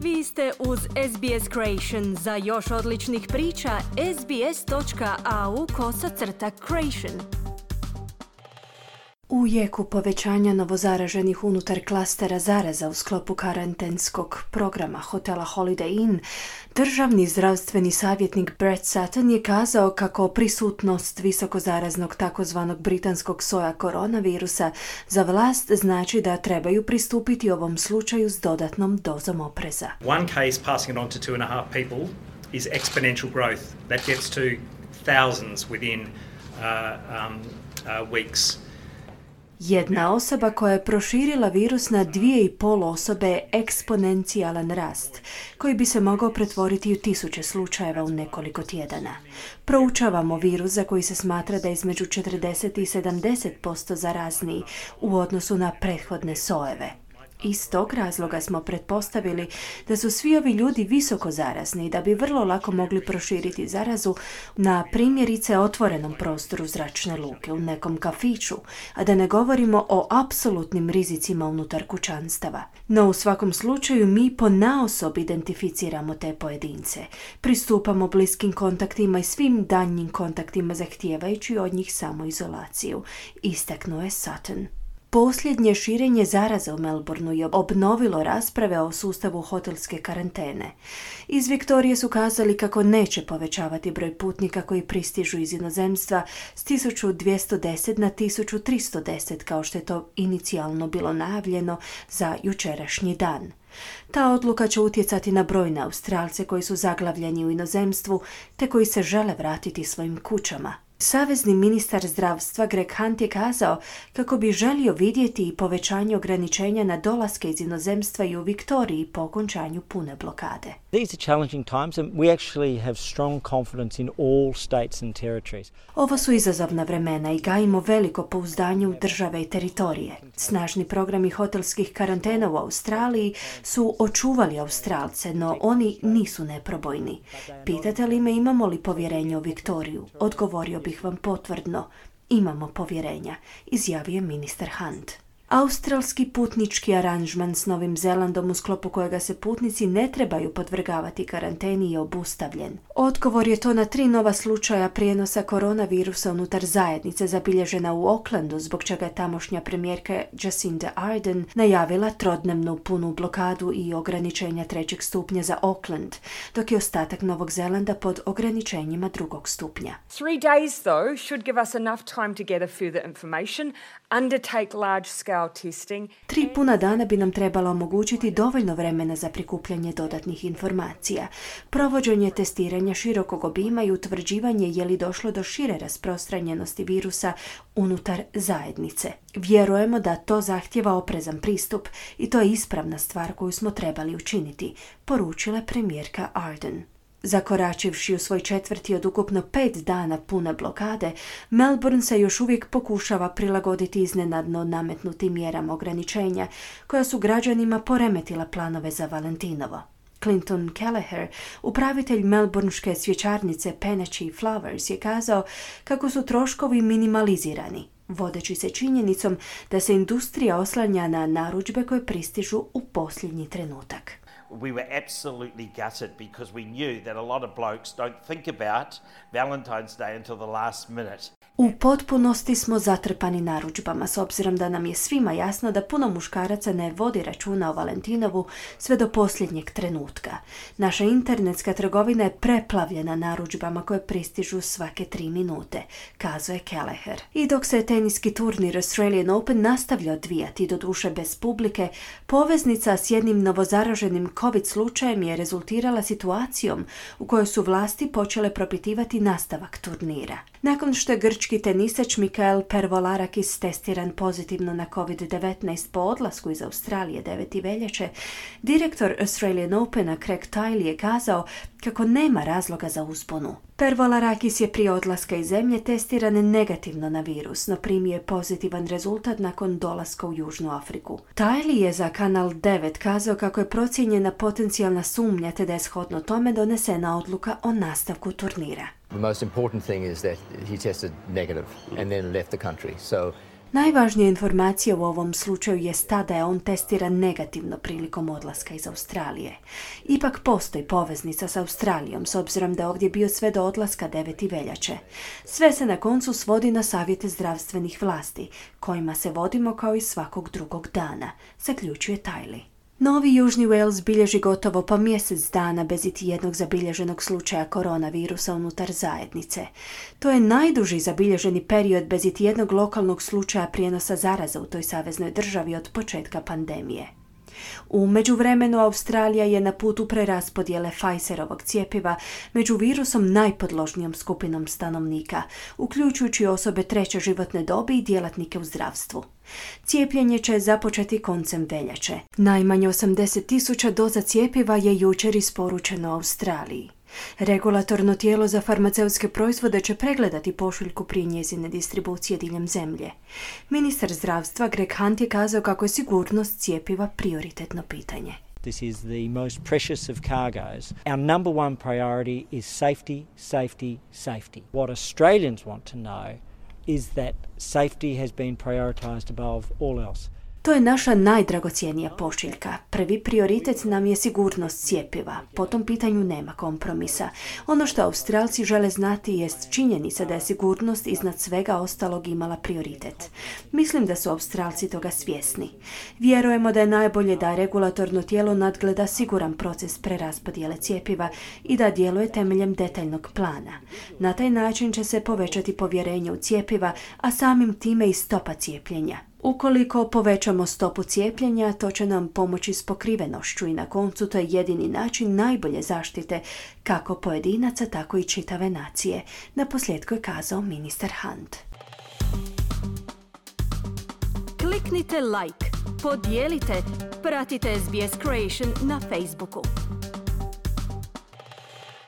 Vi ste uz SBS Creation. Za još odličnih priča, sbs.au/creation. U jeku povećanja novozaraženih unutar klastera zaraza u sklopu karantenskog programa hotela Holiday Inn, državni zdravstveni savjetnik Brett Sutton je kazao kako prisutnost visokozaraznog takozvanog britanskog soja koronavirusa za vlast znači da trebaju pristupiti ovom slučaju s dodatnom dozom opreza. One case passing it on to 2.5 people is exponential growth. That gets to thousands within weeks. Jedna osoba koja je proširila virus na 2,5 osobe je eksponencijalan rast, koji bi se mogao pretvoriti u 1000 slučajeva u nekoliko tjedana. Proučavamo virus za koji se smatra da je između 40 i 70% zarazniji u odnosu na prethodne sojeve. Iz tog razloga smo pretpostavili da su svi ovi ljudi visoko zarazni i da bi vrlo lako mogli proširiti zarazu na primjerice otvorenom prostoru zračne luke, u nekom kafiću, a da ne govorimo o apsolutnim rizicima unutar kućanstava. No u svakom slučaju mi ponaosob identificiramo te pojedince. Pristupamo bliskim kontaktima i svim daljnjim kontaktima zahtijevajući od njih samoizolaciju, istaknuo je Sutton. Posljednje širenje zaraze u Melbourneu je obnovilo rasprave o sustavu hotelske karantene. Iz Viktorije su kazali kako neće povećavati broj putnika koji pristižu iz inozemstva s 1210 na 1310 kao što je to inicijalno bilo najavljeno za jučerašnji dan. Ta odluka će utjecati na brojne Australce koji su zaglavljeni u inozemstvu te koji se žele vratiti svojim kućama. Savezni ministar zdravstva Greg Hunt je kazao kako bi želio vidjeti i povećanje ograničenja na dolaske iz inozemstva i u Viktoriji po okončanju pune blokade. These are challenging times and we actually have strong confidence in all states and territories. Ovo su izazovna vremena i gajimo veliko pouzdanje u države i teritorije. Snažni programi hotelskih karantena u Australiji su očuvali Australce, no oni nisu neprobojni. Pitate li me imamo li povjerenje u Viktoriju? Odgovorio bih vam potvrdno. Imamo povjerenja, izjavio je ministar Hunt. Australski putnički aranžman s Novim Zelandom u sklopu kojega se putnici ne trebaju podvrgavati karanteni je obustavljen. Odgovor je to na 3 nova slučaja prijenosa koronavirusa unutar zajednice zabilježena u Aucklandu, zbog čega je tamošnja premijerka Jacinda Ardern najavila trodnevnu punu blokadu i ograničenja 3. stupnja za Auckland, dok je ostatak Novog Zelanda pod ograničenjima 2. stupnja. 3 days, though, should give us enough time to gather further information, undertake large-scale testing. 3 puna dana bi nam trebalo omogućiti dovoljno vremena za prikupljanje dodatnih informacija, provođenje testiranja širokog obima i utvrđivanje je li došlo do šire rasprostranjenosti virusa unutar zajednice. Vjerujemo da to zahtjeva oprezan pristup i to je ispravna stvar koju smo trebali učiniti, poručila premijerka Ardern. Zakoračivši u svoj 4. od ukupno 5 dana pune blokade, Melbourne se još uvijek pokušava prilagoditi iznenadno nametnutim mjerama ograničenja koja su građanima poremetila planove za Valentinovo. Clinton Kelleher, upravitelj melbourneške svjećarnice Penachi Flowers, je kazao kako su troškovi minimalizirani, vodeći se činjenicom da se industrija oslanja na narudžbe koje pristižu u posljednji trenutak. We were absolutely gutted because we knew that a lot of blokes don't think about Valentine's Day until the last minute. U potpunosti smo zatrpani narudžbama, s obzirom da nam je svima jasno da puno muškaraca ne vodi računa o Valentinovu sve do posljednjeg trenutka. Naša internetska trgovina je preplavljena narudžbama koje pristižu svake 3 minute, kazuje Kelleher. I dok se teniski turnir Australian Open nastavlja odvijati, doduše bez publike, poveznica s jednim novozaraženim COVID slučajem je rezultirala situacijom u kojoj su vlasti počele propitivati nastavak turnira. Nakon što je grčki tenisač Mikael Pervolarakis testiran pozitivno na COVID-19 po odlasku iz Australije 9. veljače, direktor Australian Opena Craig Tiley je kazao kako nema razloga za uzbunu. Pervolarakis je prije odlaska iz zemlje testiran negativno na virus, no primio je pozitivan rezultat nakon dolaska u Južnu Afriku. Tiley je za Kanal 9 kazao kako je procijenjena potencijalna sumnja te da je shodno tome donesena odluka o nastavku turnira. The most important thing is that he tested negative and then left the country. So Najvažnija informacija u ovom slučaju je ta da je on testiran negativno prilikom odlaska iz Australije. Ipak postoji poveznica s Australijom, s obzirom da je ovdje bio sve do odlaska 9. veljače. Sve se na koncu svodi na savjete zdravstvenih vlasti, kojima se vodimo kao i svakog drugog dana, zaključuje Tajli. Novi Južni Wales bilježi gotovo pa mjesec dana bez iti jednog zabilježenog slučaja koronavirusa unutar zajednice. To je najduži zabilježeni period bez iti jednog lokalnog slučaja prijenosa zaraza u toj saveznoj državi od početka pandemije. U međuvremenu Australija je na putu preraspodjele Pfizerovog cjepiva među virusom najpodložnijom skupinom stanovnika, uključujući osobe 3. životne dobi i djelatnike u zdravstvu. Cijepljenje će započeti koncem veljače. Najmanje 80.000 doza cjepiva je jučer isporučeno Australiji. Regulatorno tijelo za farmaceutske proizvode će pregledati pošiljku prije njezine distribucije diljem zemlje. Ministar zdravstva Greg Hunt je kazao kako je sigurnost cjepiva prioritetno pitanje. This is the most precious of cargoes. Our number one priority is safety, safety, safety. What Australians want to know is that safety has been prioritised above all else. To je naša najdragocjenija pošiljka. Prvi prioritet nam je sigurnost cjepiva. Po tom pitanju nema kompromisa. Ono što Australci žele znati jest činjenica da je sigurnost iznad svega ostalog imala prioritet. Mislim da su Australci toga svjesni. Vjerujemo da je najbolje da regulatorno tijelo nadgleda siguran proces preraspodjele cjepiva i da djeluje temeljem detaljnog plana. Na taj način će se povećati povjerenje u cjepiva, a samim time i stopa cijepljenja. Ukoliko povećamo stopu cijepljenja, to će nam pomoći s pokrivenošću i na koncu to je jedini način najbolje zaštite kako pojedinaca, tako i čitave nacije. Naposljetku je kazao ministar Hunt. Kliknite like, podijelite, pratite SBS Creation na Facebooku.